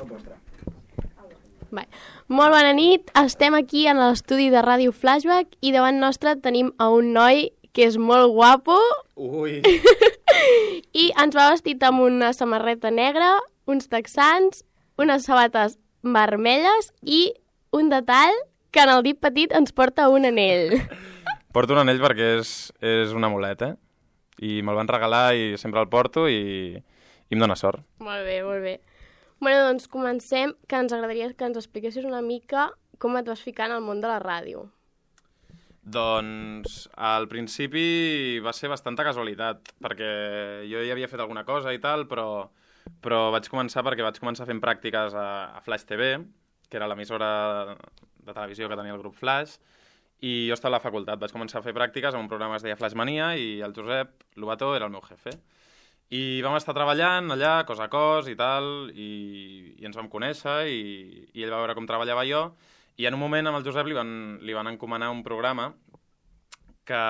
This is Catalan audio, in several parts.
tot vostre. Molt bona nit, estem aquí en l'estudi de Ràdio Flashback i davant nostre tenim a un noi que és molt guapo. Ui! I ens va vestit amb una samarreta negra, uns texans, unes sabates vermelles i un detall que en el dit petit ens porta un anell. Porto un anell perquè és un amulet, I me'l van regalar i sempre el porto i em dóna sort. Molt bé, molt bé. Bueno, doncs comencem, que ens agradaria que ens expliquessis una mica com et vas ficar en el món de la ràdio. Doncs al principi va ser bastanta casualitat, perquè jo ja havia fet alguna cosa i tal, però vaig començar perquè vaig començar fent pràctiques a Flash TV, que era l'emissora de televisió que tenia el grup Flash, i jo estava a la facultat. Vaig començar a fer pràctiques en un programa que es deia Flash Mania i el Josep Lobató era el meu jefe. I vam estar treballant allà, cos a cos i tal, i ens vam conèixer i ell va veure com treballava jo, i en un moment amb el Josep li van encomanar un programa que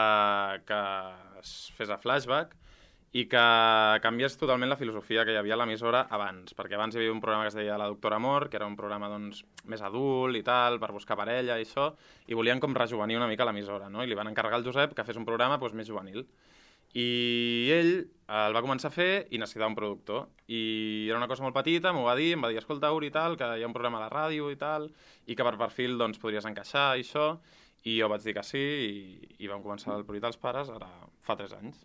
es fes a Flashback i que canviés totalment la filosofia que hi havia a l'emissora abans, perquè abans hi havia un programa que es deia La Doctora Amor, que era un programa doncs, més adult i tal, per buscar parella i això, i volien com rejuvenir una mica l'emissora, no? I li van encarregar al Josep que fes un programa doncs, més juvenil. I ell el va començar a fer i necessitava un productor. I era una cosa molt petita, m'ho va dir, em va dir, escolta, Uri, i tal, que hi ha un programa a la ràdio i tal, i que per perfil doncs, podries encaixar i això, i jo vaig dir que sí, i vam començar el Pruit als Pares ara fa 3 anys.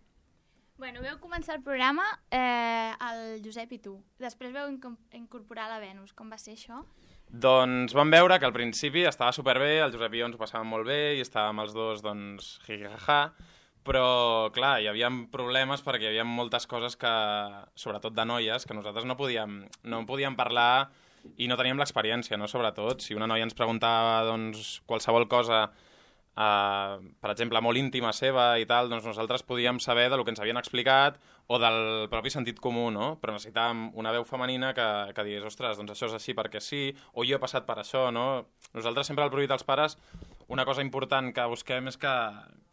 Bueno, veu començar el programa el Josep i tu. Després veu incorporar la Venus. Com va ser això? Doncs vam veure que al principi estava superbé, el Josep i jo ens ho passàvem molt bé i estàvem els dos, doncs, jijaja, però, clar, hi havia problemes perquè hi havia moltes coses que, sobretot de noies, que nosaltres no podíem parlar i no teníem l'experiència, no? Sobretot, si una noia ens preguntava doncs, qualsevol cosa, per exemple, molt íntima seva i tal, doncs nosaltres podíem saber del que ens havien explicat o del propi sentit comú, no? Però necessitàvem una veu femenina que digués, ostres, doncs això és així perquè sí, o jo he passat per això, no? Nosaltres sempre al Pruit als Pares una cosa important que busquem és que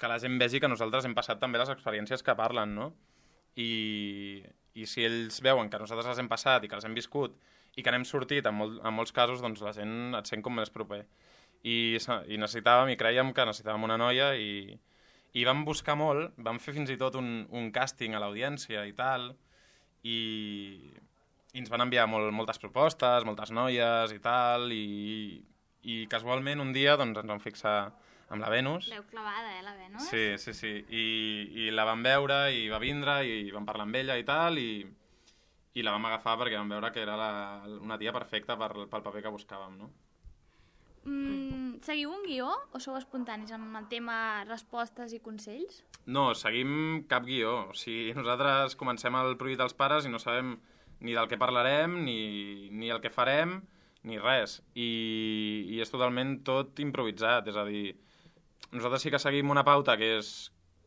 la gent vegi que nosaltres hem passat també les experiències que parlen, no? I si ells veuen que nosaltres les hem passat i que les hem viscut i que n'hem sortit en molts casos, doncs la gent et sent com més proper. I necessitàvem, i crèiem que necessitàvem una noia i vam buscar molt, vam fer fins i tot un càsting a l'audiència i tal, i ens van enviar moltes propostes, moltes noies i tal, i casualment un dia doncs, ens vam fixar amb la Venus. L'heu clavada, la Venus? Sí. I la vam veure i va vindre i vam parlar amb ella i tal, i la vam agafar perquè vam veure que era una tia perfecta pel paper que buscàvem, no? Seguiu un guió o sou espontanis amb el tema respostes i consells? No, seguim cap guió. O sigui, nosaltres comencem el Pruit als Pares i no sabem ni del que parlarem, ni el que farem, ni res. I és totalment tot improvisat. És a dir, nosaltres sí que seguim una pauta que és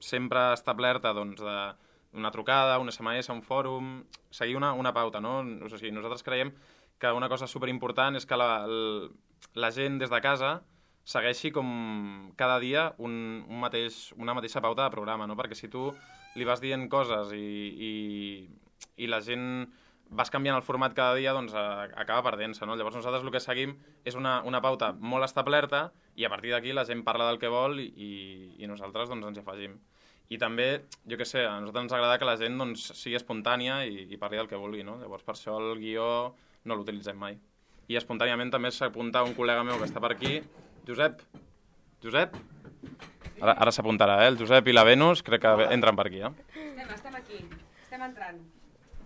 sempre establerta doncs, d'una trucada, un SMS, un fòrum, seguir una pauta, no? O sigui, nosaltres creiem que una cosa superimportant és que la gent des de casa segueixi com cada dia una mateixa pauta de programa, no? Perquè si tu li vas dient coses i la gent vas canviant el format cada dia, doncs acaba perdent-se, no? Llavors nosaltres el que seguim és una pauta molt establerta i a partir d'aquí la gent parla del que vol i nosaltres doncs, ens hi afegim. I també, jo què sé, a nosaltres ens agrada que la gent doncs, sigui espontània i parli del que vulgui, no? Llavors per això el guió no l'utilitzem mai. I espontàniament també s'apunta un col·lega meu que està per aquí, Josep? Ara s'apuntarà, el Josep i la Venus, crec que entren per aquí, Estem aquí, estem entrant.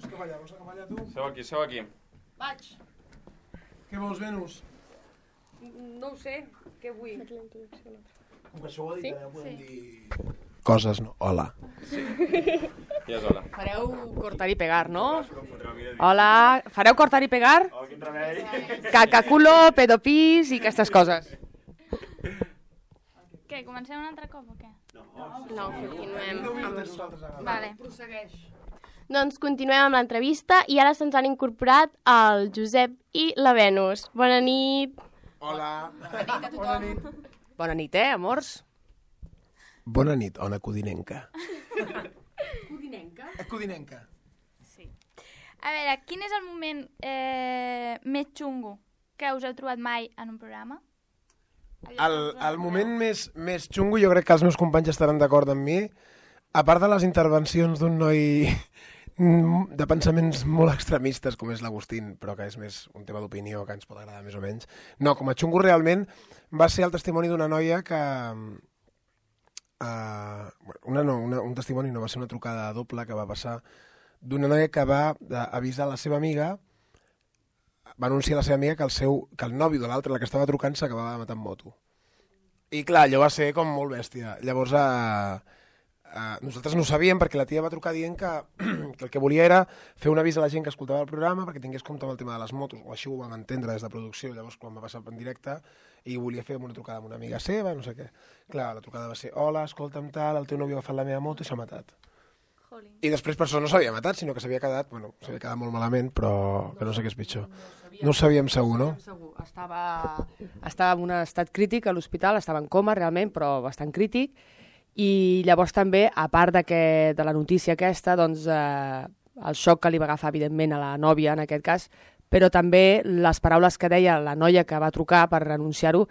Vols que balla tu? Seu aquí. Vaig. Què vols, Venus? No ho sé, què vull? Com que això ho ha dit, ja podem dir... Coses, no? Hola. Ja és hola. Fareu cortar i pegar, no? Hola, fareu cortar i pegar? Oh, quin remei. Cacaculo, pedopis i aquestes coses. Què, comencem un altre cop o què? No, continuem amb això. Vale. Prossegueix. Doncs continuem amb l'entrevista i ara se'ns han incorporat el Josep i la Venus. Bona nit. Hola. Bona nit. Bona nit, amors? Bona nit, ona codinenca. Codinenca? Codinenca. Sí. A veure, quin és el moment més xungo que us heu trobat mai en un programa? El moment més xungo, jo crec que els meus companys estaran d'acord amb mi, a part de les intervencions d'un noi de pensaments molt extremistes, com és l'Agustín, però que és més un tema d'opinió que ens pot agradar més o menys. No, com a xungo realment va ser el testimoni d'una noia que... un testimoni no, va ser una trucada doble que va passar d'una noia que va avisar la seva amiga, va anunciar a la seva amiga que el nòvio de l'altra, la que estava trucant, s'acabava de matar en moto. I clar, allò va ser com molt bèstia. Llavors, nosaltres no ho sabíem perquè la tia va trucar dient que el que volia era fer un avís a la gent que escoltava el programa perquè tingués compte amb el tema de les motos, o així ho vam entendre des de producció. Llavors, quan va passar en directe, i volia fer una trucada amb una amiga seva, no sé què. Clar, la trucada va ser: hola, escolta'm tal, el teu nòvio ha agafat la meva moto i s'ha matat. I després per això no s'havia matat, sinó que s'havia quedat molt malament, però que no sé què és pitjor. No ho sabíem segur, no? Estava en un estat crític a l'hospital, estava en coma realment, però bastant crític, i llavors també, a part de la notícia aquesta, doncs el xoc que li va agafar evidentment a la nòvia en aquest cas, però també les paraules que deia la noia que va trucar per anunciar-ho,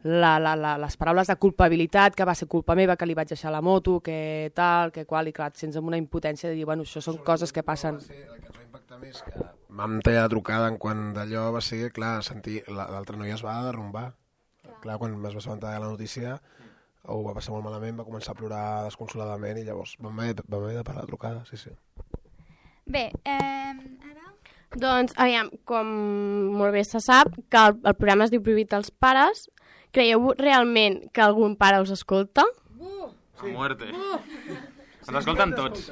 les paraules de culpabilitat, que va ser culpa meva, que li vaig deixar la moto, que tal, que qual, i clar, sense una impotència de dir, bueno, això són coses que passen. El que ens va impactar més que vam tallar la trucada en quant d'allò va ser, clar, sentir l'altra noia es va derrumbar. Clar, quan es va assabentar de la notícia, ho va passar molt malament, va començar a plorar desconsoladament i llavors vam haver de parar la trucada, sí. Bé, ara... Doncs, aviam, com molt bé se sap, que el programa es diu Prohibit als pares. Creieu realment que algun pare us escolta? A muerte. Ens escolten tots.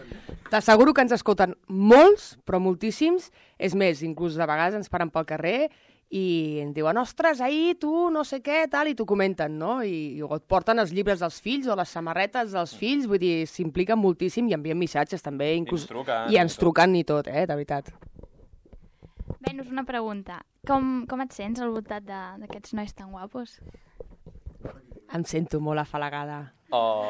T'asseguro que ens escolten molts, però moltíssims. És més, inclús de vegades ens paren pel carrer i ens diuen: ostres, ahir tu no sé què, tal, i t'ho comenten, no? I et porten els llibres dels fills o les samarretes dels fills, vull dir, s'impliquen moltíssim i envien missatges també, inclús... I ens truquen i tot, de veritat. Venus, una pregunta. Com et sents al voltant d'aquests nois tan guapos? Em sento molt afalagada. Oh.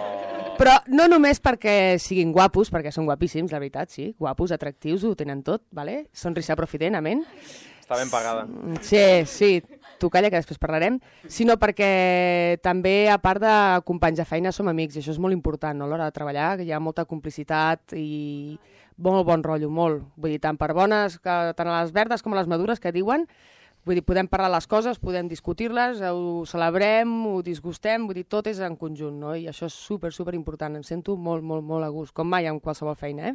Però no només perquè siguin guapos, perquè són guapíssims, la veritat, sí. Guapos, atractius, ho tenen tot, ¿vale? Sonrisa profident, amén. Està ben pagada. Sí, tu calla que després parlarem. Sinó perquè també, a part de companys de feina, som amics, i això és molt important, no? A l'hora de treballar, que hi ha molta complicitat i molt bon rotllo, molt. Vull dir, tant per bones, tant a les verdes com a les madures, que diuen. Vull dir, podem parlar les coses, podem discutir-les, ho celebrem, ho disgustem, vull dir, tot és en conjunt, no? I això és super important, em sento molt a gust, com mai en qualsevol feina,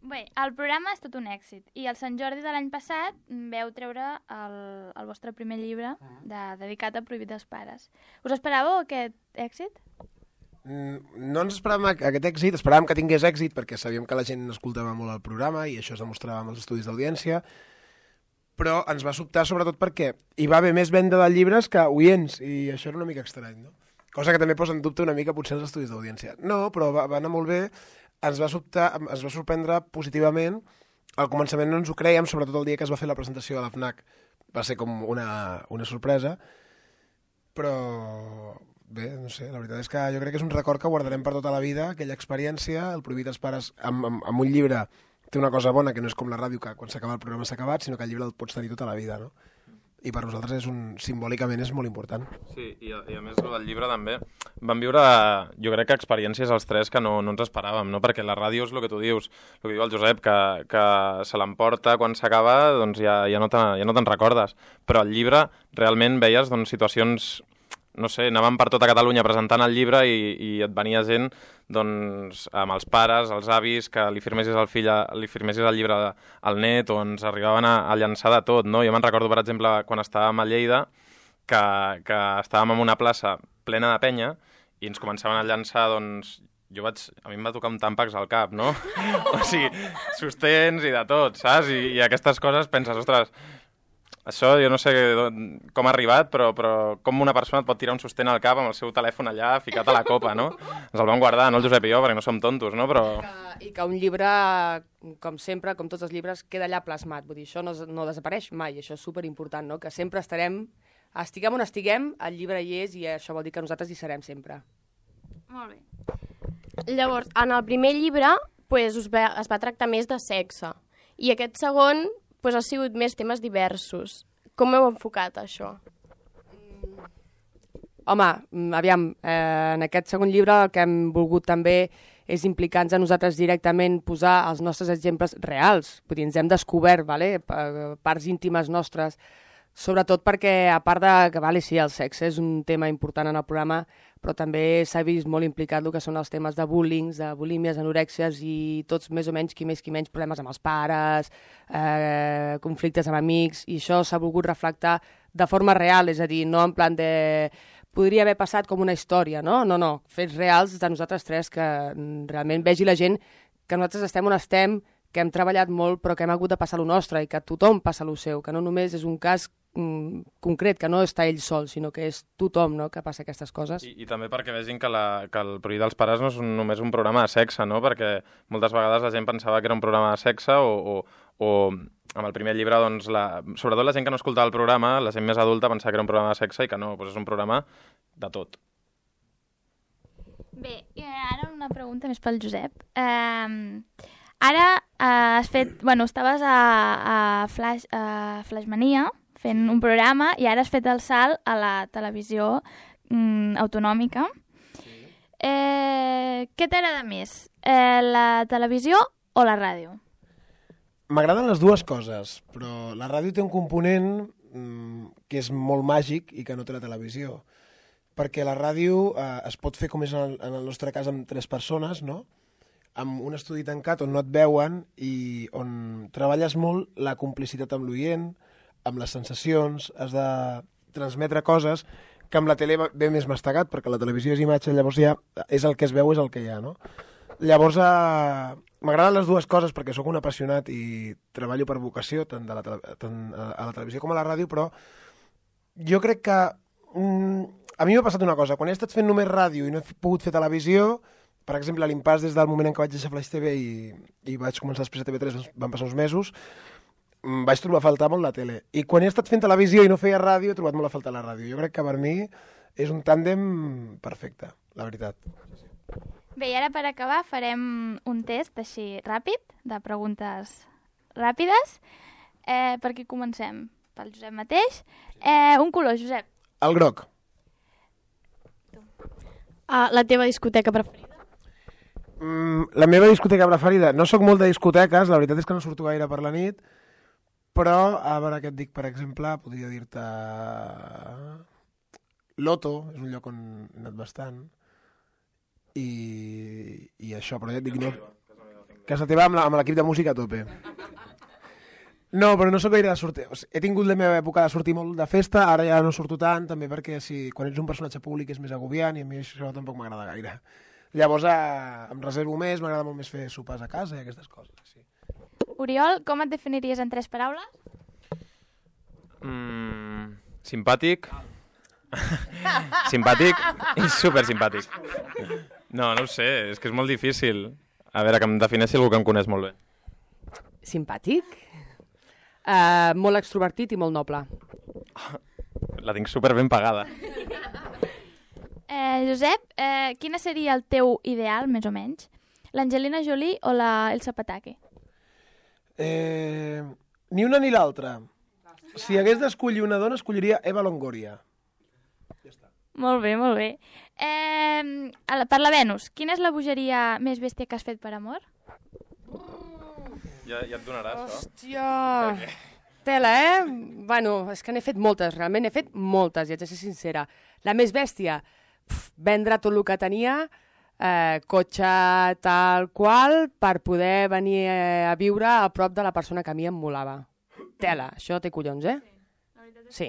Bé, el programa és tot un èxit, i el Sant Jordi de l'any passat veu treure el vostre primer llibre dedicat a Prohibit als pares. Us esperàveu aquest èxit? No ens esperàvem aquest èxit, esperàvem que tingués èxit perquè sabíem que la gent escoltava molt el programa i això es demostrava amb els estudis d'audiència, però ens va sobtar sobretot perquè hi va haver més venda de llibres que oients, i això era una mica estrany, no? Cosa que també posa en dubte una mica potser els estudis d'audiència. No, però va anar molt bé, ens va sorprendre positivament. Al començament no ens ho creiem, sobretot el dia que es va fer la presentació a la FNAC. Va ser com una sorpresa, però bé, no sé, la veritat és que jo crec que és un record que guardarem per tota la vida, aquella experiència. El Prohibit als pares amb un llibre té una cosa bona, que no és com la ràdio, que quan s'acaba el programa s'ha acabat, sinó que el llibre el pots tenir tota la vida, no? I per nosaltres simbòlicament és molt important. Sí, i a més el del llibre també vam viure, jo crec que experiències els tres que no ens esperàvem, no? Perquè la ràdio és el que tu dius, el que diu el Josep, que se l'emporta quan s'acaba, doncs ja no te'n recordes. Però el llibre realment veies situacions, no sé, anàvem per tota Catalunya presentant el llibre i et venia gent doncs, amb els pares, els avis, que li firmessis el llibre al net, o ens arribaven a llançar de tot, no? Jo me'n recordo, per exemple, quan estàvem a Lleida, que estàvem en una plaça plena de penya i ens començaven a llançar, doncs, a mi em va tocar un tàmpax al cap, no? O sigui, sostens i de tot, saps? I aquestes coses penses, ostres, això jo no sé com ha arribat, però com una persona et pot tirar un sostén al cap amb el seu telèfon allà ficat a la copa, no? Ens el vam guardar, no el Josep i jo, perquè no som tontos, no? Però... I que un llibre, com sempre, com tots els llibres, queda allà plasmat. Vull dir, això no desapareix mai, això és superimportant, no? Que sempre estiguem on estiguem, el llibre hi és, i això vol dir que nosaltres hi serem sempre. Molt bé. Llavors, en el primer llibre es va tractar més de sexe, i aquest segon ha sigut més temes diversos. Com heu enfocat això? Home, aviam, en aquest segon llibre el que hem volgut també és implicar-nos a nosaltres directament, posar els nostres exemples reals. Vull dir, ens hem descobert parts íntimes nostres, sobretot perquè, a part de que, sí, el sexe és un tema important en el programa, però també s'ha vist molt implicat el que són els temes de bullying, de bulímies, anorèxies i tots més o menys, qui més problemes amb els pares, conflictes amb amics, i això s'ha volgut reflectar de forma real, és a dir, no en plan de... podria haver passat com una història, no? No, fets reals de nosaltres tres, que realment vegi la gent que nosaltres estem on estem, que hem treballat molt però que hem hagut de passar lo nostre i que tothom passa lo seu, que no només és un cas concret, que no està ell sol, sinó que és tothom, no?, que passa aquestes coses. I també perquè vegin que el Prohibit dels pares no és només un programa de sexe, no?, perquè moltes vegades la gent pensava que era un programa de sexe o amb el primer llibre, doncs, sobretot la gent que no escoltava el programa, la gent més adulta pensava que era un programa de sexe i que no, doncs és un programa de tot. Bé, i ara una pregunta més pel Josep. Ara has fet... estaves a Flashmania fent un programa i ara has fet el salt a la televisió autonòmica. Sí. Què t'agrada més, la televisió o la ràdio? M'agraden les dues coses, però la ràdio té un component que és molt màgic i que no té la televisió. Perquè la ràdio es pot fer, com és en el nostre cas, amb 3 persones, no?, amb un estudi tancat on no et veuen i on treballes molt la complicitat amb l'oient, amb les sensacions, has de transmetre coses que amb la tele ve més mastegat, perquè la televisió és imatge, llavors ja és el que es veu, és el que hi ha, no? Llavors, m'agraden les dues coses perquè sóc un apassionat i treballo per vocació, tant a la televisió com a la ràdio, però jo crec que a mi m'ha passat una cosa. Quan he estat fent només ràdio i no he pogut fer televisió, per exemple, a l'impàs des del moment en què vaig deixar Flaix TV i vaig començar després a TV3, van passar uns mesos, vaig trobar a faltar molt la tele. I quan he estat fent televisió i no feia ràdio, he trobat molt a faltar la ràdio. Jo crec que per mi és un tàndem perfecte, la veritat. Bé, i ara per acabar farem un test així ràpid, de preguntes ràpides. Per qui comencem? Pel Josep mateix. Un color, Josep. El groc. La teva discoteca preferida? La meva discoteca preferida? No sóc molt de discoteques, la veritat és que no surto gaire per la nit, però, a veure què et dic, per exemple, podria dir-te... Loto, és un lloc on he anat bastant, i això, però ja et dic, no... Casa teva amb l'equip de música a tope. No, però no sóc gaire de sortir. He tingut la meva època de sortir molt de festa, ara ja no surto tant, també perquè quan ets un personatge públic és més agobiant i a mi això tampoc m'agrada gaire. Llavors em reservo més, m'agrada molt més fer sopars a casa i aquestes coses. Sí. Oriol, com et definiries en 3 paraules? Simpàtic. Simpàtic i supersimpàtic. No ho sé, és que és molt difícil. A veure, que em defineixi algú que em coneix molt bé. Simpàtic? Molt extrovertit i molt noble. La tinc super ben pagada. Josep, quina seria el teu ideal, més o menys? L'Angelina Jolie o Elsa Pataky? Ni una ni l'altra. Si hagués d'escollir una dona, escolliria Eva Longoria. Ja està. Molt bé, molt bé. Per la Venus, quina és la bogeria més bèstia que has fet per amor? Ja et donaràs, això. Hòstia! Tela, Bueno, és que n'he fet moltes, realment n'he fet moltes, i haig de ser sincera. La més bèstia, vendre tot el que tenia, cotxe tal qual, per poder venir a viure a prop de la persona que a mi em molava. Tela, això té collons, Sí.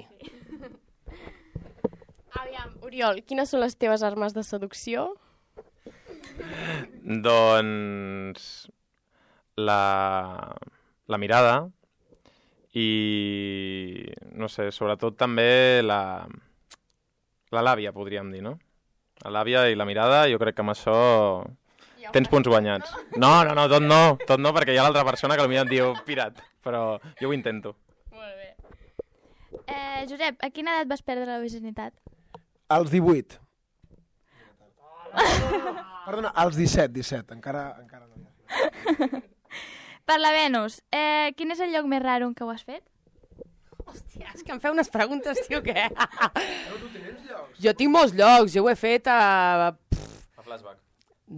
Aviam, Oriol, quines són les teves armes de seducció? Doncs la mirada i, no sé, sobretot també la làbia, podríem dir, no? La làbia i la mirada, jo crec que amb això tens punts guanyats. No, tot no, perquè hi ha l'altra persona que potser et diu pirat, però jo ho intento. Molt bé. Josep, a quina edat vas perdre la virginitat? Als 18. Perdona, als 17, encara no hi ha. Per la Venus, quin és el lloc més raro en què ho has fet? Hòstia, és que em feu unes preguntes, tio, què? Jo tinc molts llocs, jo ho he fet a... A Flashback.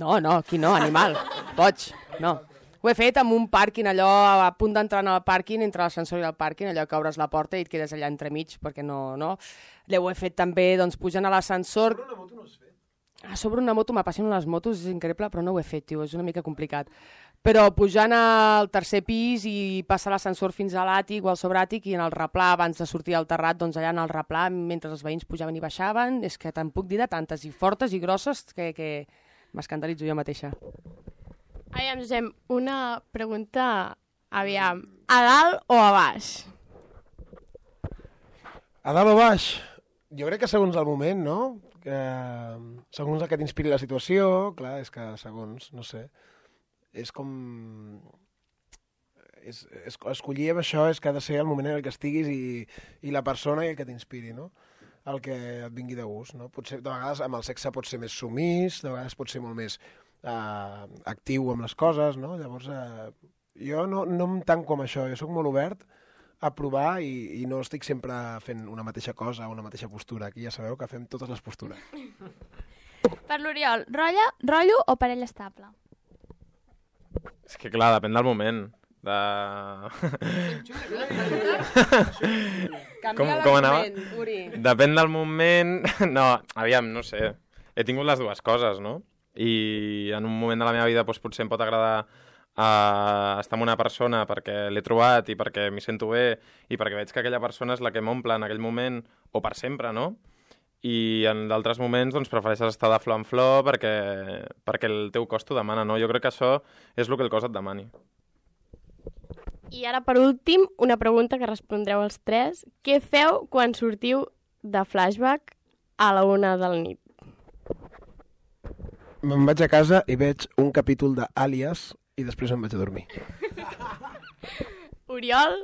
No, aquí no, animal, boig, no. Ho he fet amb un pàrquing, allò a punt d'entrar al pàrquing, entre l'ascensor i el pàrquing, allò que obres la porta i et quedes allà entremig, perquè no... Ho he fet també, doncs, pujant a l'ascensor... Sobre una moto no has fet? Sobre una moto, m'apassionen les motos, és increïble, però no ho he fet, tio, és una mica complicat. Però pujant al tercer pis i passar l'ascensor fins a l'àtic o al sobràtic i en el replà, abans de sortir al terrat, doncs allà en el replà, mentre els veïns pujaven i baixaven, és que te'n puc dir de tantes, i fortes i grosses, que m'escandalitzo jo mateixa. Aviam, Josep, una pregunta, aviam, a dalt o a baix? A dalt o baix? Jo crec que segons el moment, no? Que, segons el que t'inspiri la situació, clar, és que segons, no sé, és com... escollir amb això és que ha de ser el moment en el que estiguis i la persona i el que t'inspiri, no? El que et vingui de gust, no? Potser, de vegades amb el sexe pot ser més sumís, de vegades pot ser molt més actiu amb les coses, no? Llavors, jo no em tanco amb això, jo sóc molt obert a provar i no estic sempre fent una mateixa cosa o una mateixa postura. Aquí ja sabeu que fem totes les postures. Per l'Oriol, rotllo o parella estable? És que clar, depèn del moment. Com anava? Uri. Depèn del moment... No, aviam, no sé. He tingut les dues coses, no? I en un moment de la meva vida doncs, potser em pot agradar estar amb una persona perquè l'he trobat i perquè m'hi sento bé i perquè veig que aquella persona és la que m'omple en aquell moment o per sempre, no? I en d'altres moments doncs, prefereixes estar de flor en flor perquè el teu cos t'ho demana, no? Jo crec que això és el que el cos et demani. I ara, per últim, una pregunta que respondreu els tres. Què feu quan sortiu de Flashback a la 1 de la nit? Me'n vaig a casa i veig un capítol d'Àlies i després em vaig a dormir. Oriol?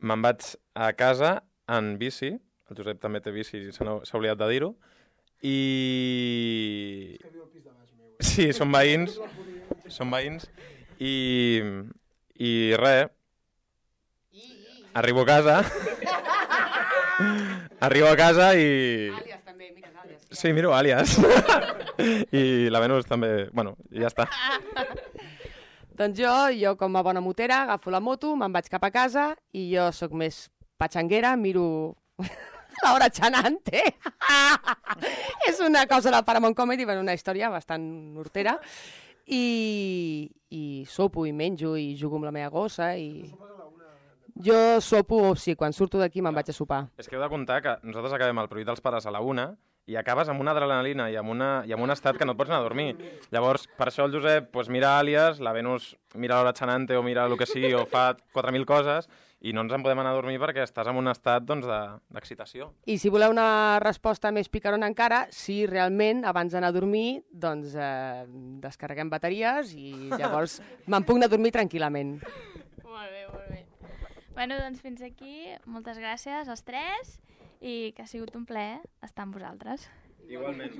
Me'n vaig a casa en bici, el Josep també té bici, s'ha oblidat de dir-ho, i... Sí, són veïns, i res, arribo a casa i... Àlies també, mires Àlies. Sí, miro Àlies. I la Venus també, bueno, i ja està. Doncs jo com a bona motera, agafo la moto, me'n vaig cap a casa i jo sóc més patxanguera, miro Laura Chanante. És una cosa de Paramount Comedy, una història bastant hortera. I sopo i menjo i jugo amb la meva gossa i... Jo sopo, sí, quan surto d'aquí me'n vaig a sopar. És que heu de comptar que nosaltres acabem el Prohibit dels Pares a la 1 i acabes amb una adrenalina i amb un estat que no et pots anar a dormir. Llavors, per això el Josep mira Àlies, la Venus mira Laura Chanante o mira el que sigui o fa 4.000 coses i no ens en podem anar a dormir perquè estàs en un estat d'excitació. I si voleu una resposta més picarona encara, si realment abans d'anar a dormir doncs descarreguem bateries i llavors me'n puc anar a dormir tranquil·lament. Molt bé, molt bé. Bueno, doncs fins aquí. Moltes gràcies als tres i que ha sigut un plaer estar amb vosaltres. Igualment.